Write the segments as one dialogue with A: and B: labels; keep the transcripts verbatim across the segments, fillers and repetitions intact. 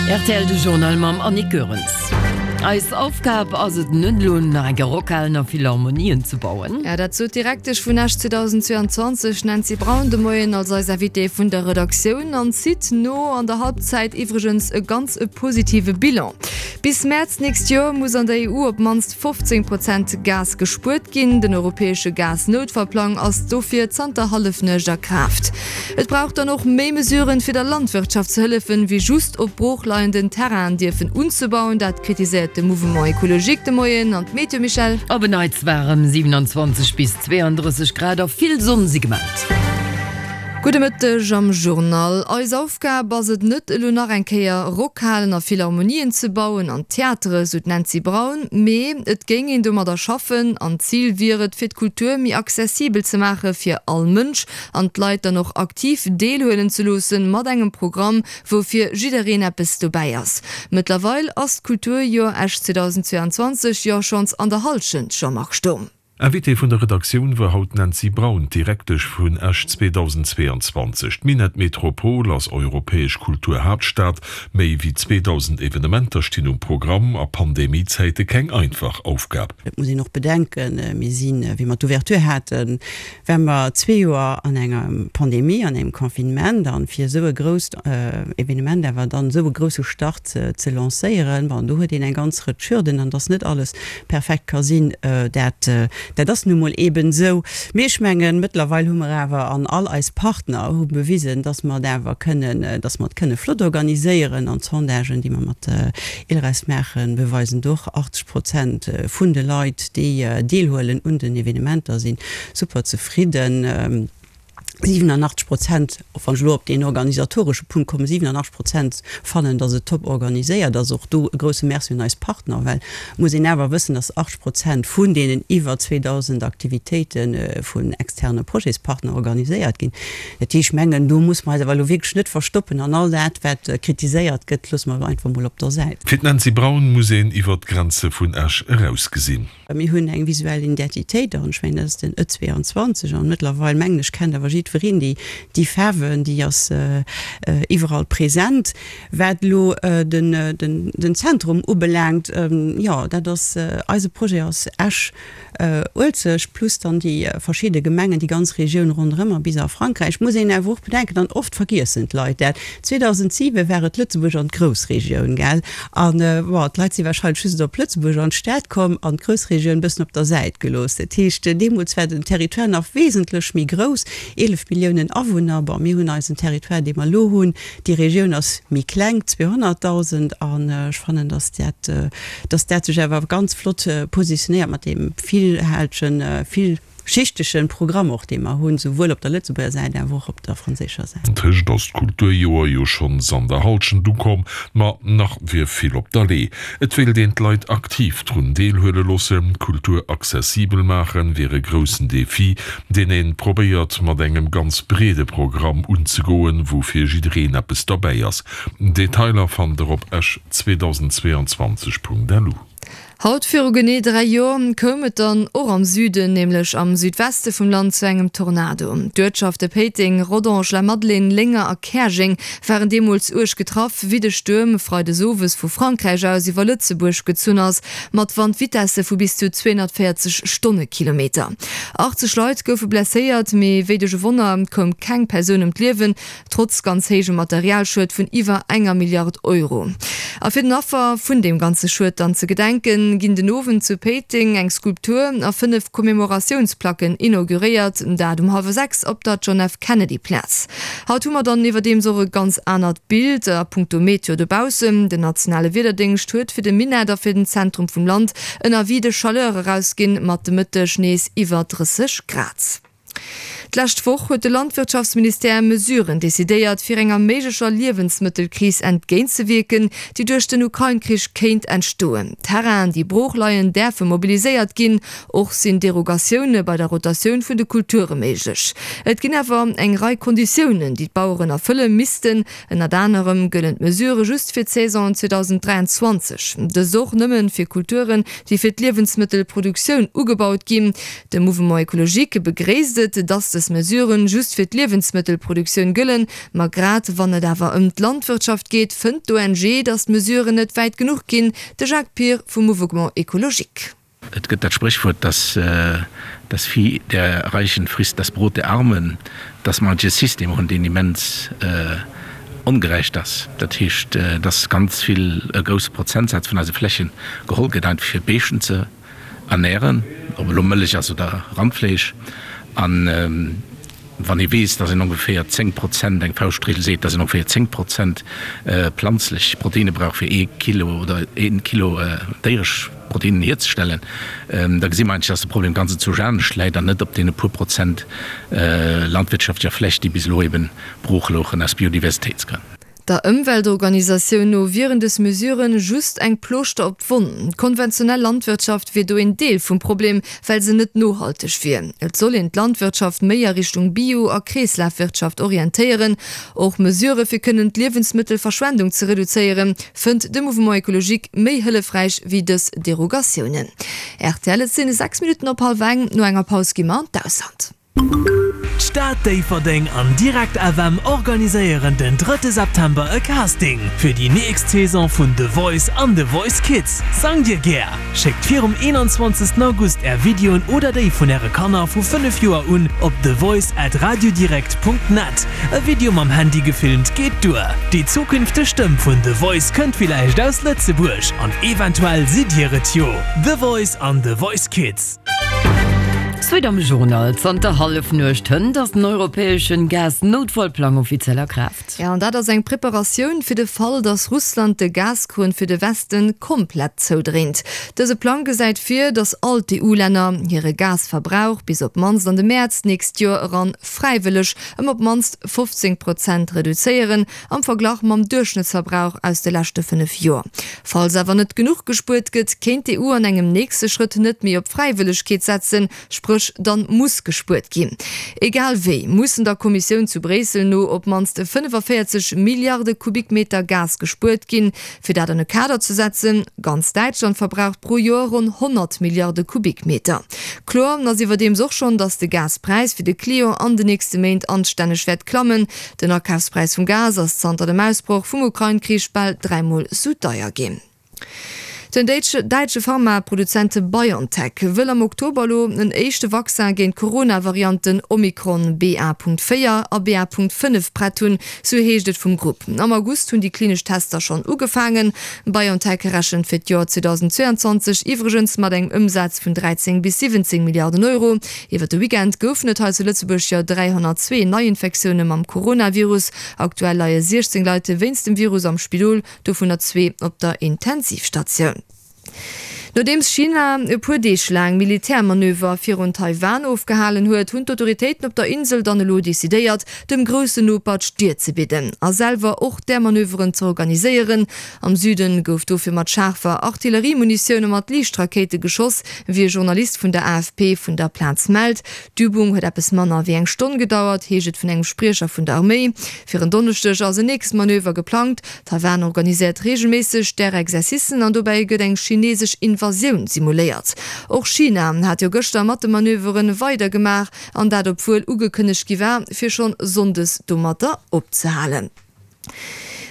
A: Rtl de Journal mam Annick Goerens. Eis Aufgab ass et net elo nach eng Kéier Rockhalen a Philharmonien ze bauen.
B: Ja, dat sot d'Direktesch vun Esch zweedausendzweeanzwanzeg Nancy Braun de Moien als eis Invitée vun der Redaktioun an zitt no an der Halbzeit iwwregens e ganz e positive Bilan. Bis Mäerz d'nächst Joer muss an der E U op d'mannst fofzéng Prozent Gas gespuert ginn. Den europäesche Gas-Noutfallplang ass dofir zanter Hallefnuecht a Kraaft. Et brauch dann och méi Mesuren, fir der Landwirtschaft ze hëllefen, wéi just op broochleienden Terrainen dierfen unzebauen. Dat kritiséiert de Mouvement Ecologique de Moien. An d'Meteo, Michèle?
A: Op en Neits waarem, siewenanzwanzeg bis zweeandrësseg Grad a vill Sonn si gemellt.
B: Gudde Mëtteg am Journal. Eis Aufgab ass et net, elo nach eng Kéier Rockhalen a Philharmonien ze bauen an Theatere, sou d'Nancy Braun, mee et géing een domadder schaffen an d'Zil wier et, fir d'Kultur méi accessibel ze maache fir all Mënsch an d'Leit dann och aktiv deelhuelen ze loossen mat engem Programm, wou fir jiddereen eppes dobäi ass. Mëttlerweil ass d'Kulturjoer Esch zweedausendzweeanzwanzeg jo schonns an der Hallschent, Jean-Marc Sturm.
C: Invitée vun der Redaktioun war haut d'Nancy Braun, d'Direktesch vun Esch zweedausendzweeanzwanzeg. D'Minett-Metropol ass europäesch Kulturhaaptstad. Méi wéi zweedausend Evenementer stinn um Programm, a Pandemie-Zäite keng einfach Aufgab.
D: Et muss een och bedenken, mir sinn, wéi mer d'Ouverture haten, ware mer zwee Joer an enger Pandemie, an engem Confinement, an fir esou e grousst Evenement awer dann esou e grousse Start ze lancéieren, bon, do huet een eng ganz Rëtsch Hürden, an dass net alles perfekt ka sinn, dat Dat ass nu mol eeben esou. Mee ech mengen, mëttlerweil hu mer awer, an all eis Partner hu bewisen, dass mer et awer kënnen, dass mer et kënne flott organiséieren. An d'Sondagen, déi mer mat ILReS maachen, beweisen et och, achtzeg Prozent vun de Leit, déi deelhuelen un den Evenementer, si super zefridden. siwenanachtzeg Prozent, och wann ech elo op deen organisatoresche Punkt kommen, siwenanachtzeg Prozent fannen, dass et top organiséiert ass. Och do e grouse Merci un eis Partner, well et muss een awer wëssen, dass achtzeg Prozent vun deenen iwwer zweedausend Aktivitéite vun externe Projetspartner organiséiert ginn. Dat heescht, ech mengen, do muss mer eis awer elo wierklech net verstoppen an all dat, wat kritiséiert gëtt, loosse mer elo einfach emol op der Säit.
C: Fir d'Nancy Braun muss een iwwer d'Grenze vun Esch eraus gesinn.
D: Mir hunn eng visuell Identitéit an ech mengen, dat ass den E zwee an zwanzeg an mëttlerweil, mengen ech, kennt awer jiddwereen déi, déi Faarwen, déi ass iwwerall present. Wat elo den, den, den Zentrum ubelaangt, jo, dat ass, eise Projet ass Esch, Uelzecht plus dann déi verschidde Gemengen, déi ganz Regioun ronderëm a bis a Frankräich. Muss een awer och bedenken, an oft vergiessen d'Leit dat, zweedausendziewe war et Lëtzebuerg an d'Groussregioun, gell? An, bon, d'Leit si wahrscheinlech just op Lëtzebuerg an d'Stad komm an d'Groussregioun bëssen op der Säit gelooss. Dat heescht, deemools war den Territoire nach wesentlech méi grouss, eelef Milliounen Awunner. Bon, mir hunn eisen Territoire, dee mer elo hunn, déi Regioun ass méi kleng, zweehonnertdausend, an ech fannen, dass dat, dass dat sech awer ganz flott positionéiert mat deem villhältegen, villschichtegen Programm och, dee mer hunn, souwuel op der Lëtzebuerger Säit awer och op der franséischer Säit.
C: Antëscht ass d'Kulturjoer jo schonns an der Hallschent ukomm, ma nach wier vill op der Lee. Et wéilt een d'Leit aktiv drun deelhuele loossen. Kultur accessibel maachen wier e groussen Defi, deen ee probéiert mat engem ganz breede Programm unzegoen, wou fir jiddereen eppes derbäi ass. Detailer fannt der op esch zweedausendzweeanzwanzeg punkt lu.
B: Haut viru genee dräi Joer koum et dann och am Süden, nämlech am Südweste vum Land zu engem Tornado. D'Uertschafte Péiteng, Rodange, Lamadelaine, Lénger a Käerjeng waren deemools uerg getraff, wéi de Stuerm freides owes vu Frankräich aus iwwer Lëtzebuerg gezunn ass, mat Wandvitesse vu bis zu zweehonnertvéierzeg Stonnekilometer. achtzeg Leit goufe blesséiert, mee wéi duerch e Wonner koum keng Persoun ëm d'Liewen, trotz ganz héijem Materialschued vun iwwer enger Milliard Euro. A fir den Affer vun deem ganze Schued dann ze gedenken, ginn den Owend zu Péiteng eng Skulptur a fënnef Commemoratiounsplacken inauguréiert, dat um hallwer sechs op der John F. Kennedy Plaz. Haut hu mer dann iwwerdeems och e ganz anert Bild a punkto Meteo dobaussen. Den nationale Wiederdéngscht huet fir de Minett a fir den Zentrum vum Land en Avis de chaleur erausginn, mat de Mëtteg nees iwwer drësseg Grad. D'lescht Woch huet de Landwirtschaftsministère Mesuren decidéiert, fir enger méiglecher Liewensmëttelkris entgéintzewierken, déi duerch den Ukrain-Krich kéint entstoen. Terrainen, déi brooch leien, däerfe mobiliséiert ginn. Och sinn Derogatioune bei der Rotatioun vun de Kulture méiglech. Et ginn awer eng Rei Konditiounen, déi d'Baueren erfëlle missten. Ënnert anerem gëllen d'Mesurë just fir d'Saison zweedausenddräianzwanzeg. Dëst och nëmme fir Kulturen, déi fir d'Liewensmëttelproduktioun ugebaut ginn. De Mouvement Ecologique begréisst et, dass dës Mesuren just fir d'Liewensmëttelproduktioun gëllen, ma grad wann et awer ëm d'Landwirtschaft geet, fënnt d'ONG, datt d'Mesuren net wäit genuch ginn. De Jacques Pir vum Mouvement Ecologique.
E: Et gëtt dat Spréchwuert, dass das Vieh der Reichen frisst das Brot der Armen, dass mer e System hunn, deen immens ongerecht ass. Dat heescht, dass ganz vill, e grousse Prozentsaz vun eise Flächen geholl gëtt einfach fir Béischten ze ernähren, ob elo Mëllech ass oder Randfleesch. An wann ee weess, dass een ongeféier zéng Prozent, eng Fauschtregel seet, dass een ongeféier zéng Prozent planzlech Proteine brauch fir ee Kilo oder ee Kilo déieresch Proteinen hierzestellen, da gesi mer eigentlech, dass de Problem ganz enzwousch anescht läit an net op deene puer Prozent landwirtschaftlecher Fläch, déi bis elo eben brooch louchen aus Biodiversitéitsgrënn.
B: Der Ëmweltorganisatioun no wieren dës Mesurë just eng Plooschter op d'Wonn. D'konventionell Landwirtschaft wier do een Deel vum Problem, well se net nohalteg wier. Et soll een d'Landwirtschaft méi a Richtung Bio a Kreeslafwirtschaft orientéieren. Och Mesurë fir kënnen d'Liewensmëttelverschwendung ze reduzéieren, fënnt de Mouvement Ecologique méi hëllefräich wéi dës Derogatiounen. Rtl, Et sinn sechs Minutten op hallwer eng. No enger Paus gi mer an d'Ausland.
F: D'Stad Déifferdeng an Direkt F M organiséieren den drëtte September e Casting fir déi nächst Saison vun The Voice an The Voice Kids. Sangt Dir gär? Schéckt virum eenanzwanzegsten August Är Videoen oder déi vun Äre Kanner vu fënnef Joer un op thevoice at radiodirekt Punkt net. E Video mam Handy gefilmt geet duer. Déi zukünfteg Stëmm vun The Voice kënnt villäicht aus Lëtzebuerg an eventuell sidd Dir et jo. The Voice an The Voice Kids.
A: Suite am Journal, Zanter Hallefnuecht hënt ass den europäeschen Gas-Noutfallplang offiziell a Kraaft.
B: Jo, an dat ass eng Preparatioun fir de Fall, datt Russland de Gaskrunn fir de Westen komplett zoudréint. Dëse Plang gesäit vir, datt all d'E U-Länner hire Gasverbrauch bis op d'mannst an de Mäerz d'nächst Joer eran fräiwëlleg ëm op d'mannst fofzéng Prozent reduzéieren, am Verglach mam Duerchschnëttsverbrauch aus de leschte fënnef Joer. Falls awer net genuch gespuert gëtt, kéint d'E U an engem nächste Schrëtt net méi op Fräiwëllegkeet setzen, spréch dann muss gespuert ginn. Egal wéi mussen der Kommissioun zu Bréissel no op d'mannst fënnefavéierzeg Milliarde Kubikmeter Gas gespuert ginn. Fir dat an e Kader ze setzen, Ganz Däitschland verbraucht pro Joer ronn honnert Milliarde Kubikmeter. Kloer ass iwwerdeems och schonn, datt de Gaspräis fir de Client an de nächste Méint anstänneg wäert klammen. Den Akafspräis vum Gas ass zanter dem Ausbroch vum Ukrain-Krich bal dräimol sou deier ginn. Den däitsche Pharmaproduzent BioNTech wëll am Oktober elo en éischte Vaccin géint d'Corona-Varianten Omikron B A Punkt véier a B A Punkt fënnef prett hunn, sou heescht et vum Grupp. Am August hunn déi klinesch Tester schonn ugefaangen. BioNTech rechent fir d'Joer zweedausendzweeanzwanzeg iwwregens mat engem Ëmsaz vun dräizéng bis siwwenzéng Milliarden Euro. Iwwer de Weekend goufen et hei zu Lëtzebuerg jo dräihonnertzwee Neiinfektioune mam Coronavirus. Aktuell leie siechzéng Leit wéinst dem Virus am Spidol, dovunner zwee op der Intensivstatioun. Nodeems China e puer Deeg laang Militärmanöver virun Taiwan ofgehalen huet, hunn d'Autoritéiten op der Insel dann elo decidéiert, dem groussen Noper d'Stier ze bidden a selwer och där Manöveren ze organiséieren. Am Süden gouf dofir mat schaarfer Artilleriemunitioun a mat Liichtrakéite geschoss, wéi e Journalist vun der A F P vun der Plaz mellt. D'Übung huet eppes manner wéi eng Stonn gedauert, heescht et vun engem Spriecher vun der Arméi. Fir en Donneschdeg ass en nächst Manöver geplangt. Taiwan organiséiert reegelméisseg där Exercicen an dobäi gëtt eng chinesesch Invasioun simuléiert. Och China hat jo gëschter mat de Manöveren weidergemaach, an dat obwuel ugekënnegt gi war, fir schonn sonndes domatter opzehalen.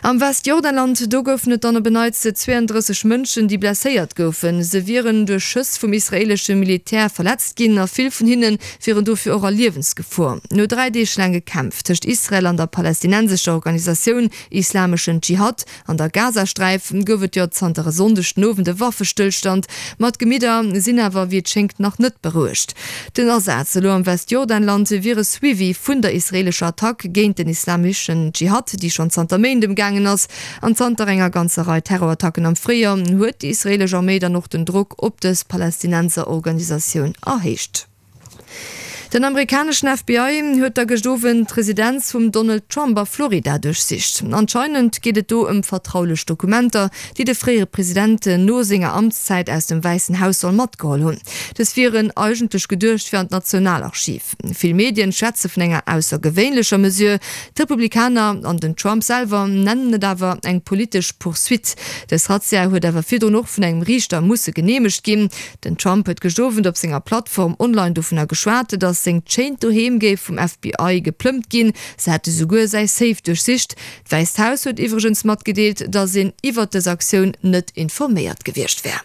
B: Am Westjordanland, do goufen et dann op en Neits zweeëndrësseg Mënschen, déi blesséiert goufen. Se wieren duerch Schëss vum israeelesche Militär verletzt ginn a vill vun hinne wieren dofir och a Liewensgefor. No dräi Deeg laange Kämpf tëscht Israel an der palästinensescher Organisatioun Islameschen Dschihad an der Gazasträif gouf et jo zanter e Sonndeg den Owend e Waffestëllstand, ma d'Gemidder sinn awer wéi et schéngt nach net berouegt. Den Asaz elo am Westjordanland wier e Suivi vun der israeelescher Attack géint den Islameschen Dschihad, déi schonn zanter Méint am gaangen ass. An zanter enger ganzer Rei Terrorattacken am Fréijoer huet déi israeelesch Arméi dann och den Drock op dës Palästinenserorganisatioun erhéicht. Den amerikaneschen F B I huet da gëscht Owend d'Residenz vum Donald Trump a Florida duerchsicht. Anscheinend geet et do ëm vertraulech Dokumenter, déi de fréiere President no senger Amtszäit aus dem Wäissen Haus soll matgeholl hunn. Dës wieren eigentlech geduecht fir an d'Nationalarchiv. Vill Medien schwätze vun enger aussergewéinlecher Mesure. D'Republikaner an den Trump selwer nennen et awer eng politesch Poursuite. Dës Razzia huet awer virdrun och vun engem Riichter musse geneemegt ginn. Den Trump huet gëscht Owend op senger Plattform online dovunner geschwat, datt datt sengt schéint Doheem géif vum F B I geplëmmt ginn. Se hätte souguer säi Safe duerchsicht. D'Wäisst Haus huet iwwregens matgedeelt, datt een iwwert dës Aktioun net informéiert gewiescht wär.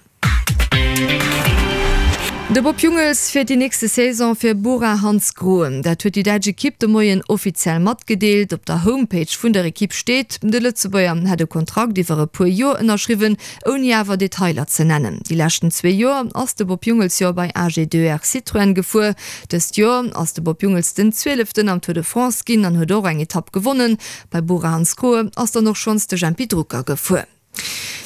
B: De Bob Jungels fiert déi nächste Saison fir Bora Hansgrohe. Dat huet déi däitsch Ekipp de Moien offiziell matgedeelt. Op der Homepage vun der Ekipp steet, de Lëtzebuerger hätt e Kontrakt iwwer e puer Joer ënnerschriwwen, ouni awer Detailer ze nennen. Déi leschten zwee Joer ass de Bob Jungels jo bei A G deux R Citroën gefuer. Dëst Joer ass de Bob Jungels den Zwieleften am Tour de France ginn an huet och eng Etapp gewonnen. Bei Bora Hansgrohe ass dann och schonns de Jempy Drucker gefuer.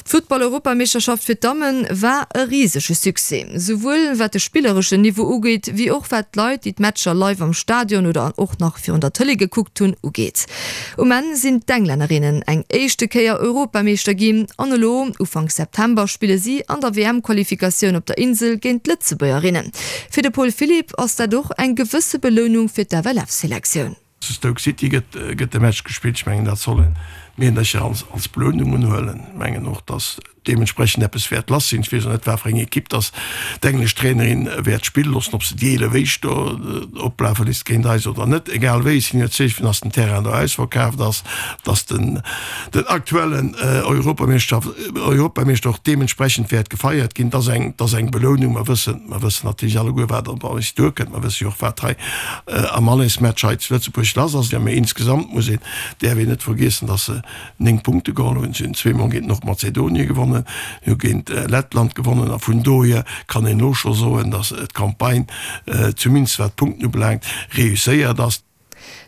B: D'Futtball-Europameeschterschaft fir d'Damme war e risege Succès. Souwuel wat de spillereschen Niveau ugeet, wéi och wat d'Leit, déi d'Matcher live am Stadion oder och nach virun der Tëlee gekuckt hunn, ugeet. Um Enn sinn d'Englännerinnen eng éischte Kéier Europameeschter ginn an elo Ufank September spille si an der W M-Qualifikatioun op der Insel géint d'Lëtzebuergerinnen. Fir de Paul Philipp ass dat och eng gewësse Belounung fir d'F L F-Selektioun.
G: Zu Stoke City gëtt, gëtt de Match gespillt. Ech mengen, dat solle Meedercher als, als Belounung unhuelen. Ech mengen och, dass deementsprechend eppes wäert lass sinn. Ech weess net, wat fir eng Ekipp dass d'englesch Trainerin wäert spille loossen, ob se déi eelef Éischt do oplafe léisst géint eis oder net. Egal wéi, si hunn jo d'Zeechen, dass den Terrain do ausverkaaft ass, dass den, den aktuellen, äh, Europameeschter, Europameeschter och deementsprechend wäert gefeiert ginn. Dat ass eng, dat ass eng Belounung. Mer wëssen, mer wëssen natierlech alleguer, wat op eis duerkënnt. Mer wësse jo och, wat hei, äh, am Allesmatch hei zu Lëtzebuerg lass ass. Ja, mee insgesamt muss een, däerf een net vergiessen, dass se néng Punkte geholl hunn. Si hunn zweemol géint Nordmazedonien gewonnen, hu géint, äh, Lettland gewonnen. A vun dohier kann een och scho soen, dass d'Campagne, äh, zumindest wat d'Punkten ubelaangt, reusséiert ass.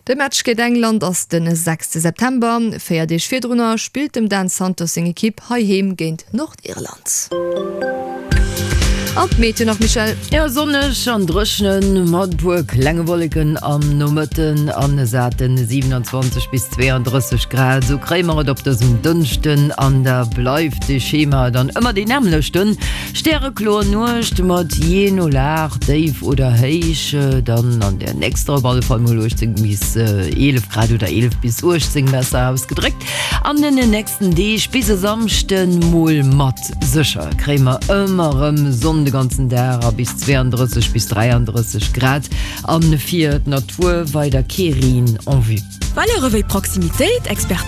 B: De Match géint England ass den sechste September. Véier Deeg virdrunner spillt dem Dan Santos seng Ekipp heiheem géint Nordirland. An d'Meteo nach, Michèle.
A: Ja, sonneg an dréchnen, mat puer klenge Wolleken am Nomëtten an e saten siewenundzwanzeg bis zweeëndrësseg Grad. Sou kréie mer et op dësem Dënschden an da bleift de Schema dann ëmmer deen nämmlechten. Stärekloer Nuecht mat jee no Lag, déif oder héich, dann an der nächster op alle Fall mol uechtzéng bis eelef Grad oder eelef bis uechtzéng besser ausgedréckt. An den nächsten Deeg bis e Samschden mol mat sécher kréie mer ëmmer erëm Sonn de ganzen Dag a bis zweeëndrësseg bis dräiandrësseg Grad an fir d'Natur weider kee Reen en vue.
H: Valere wéi Proximitéit, Expertise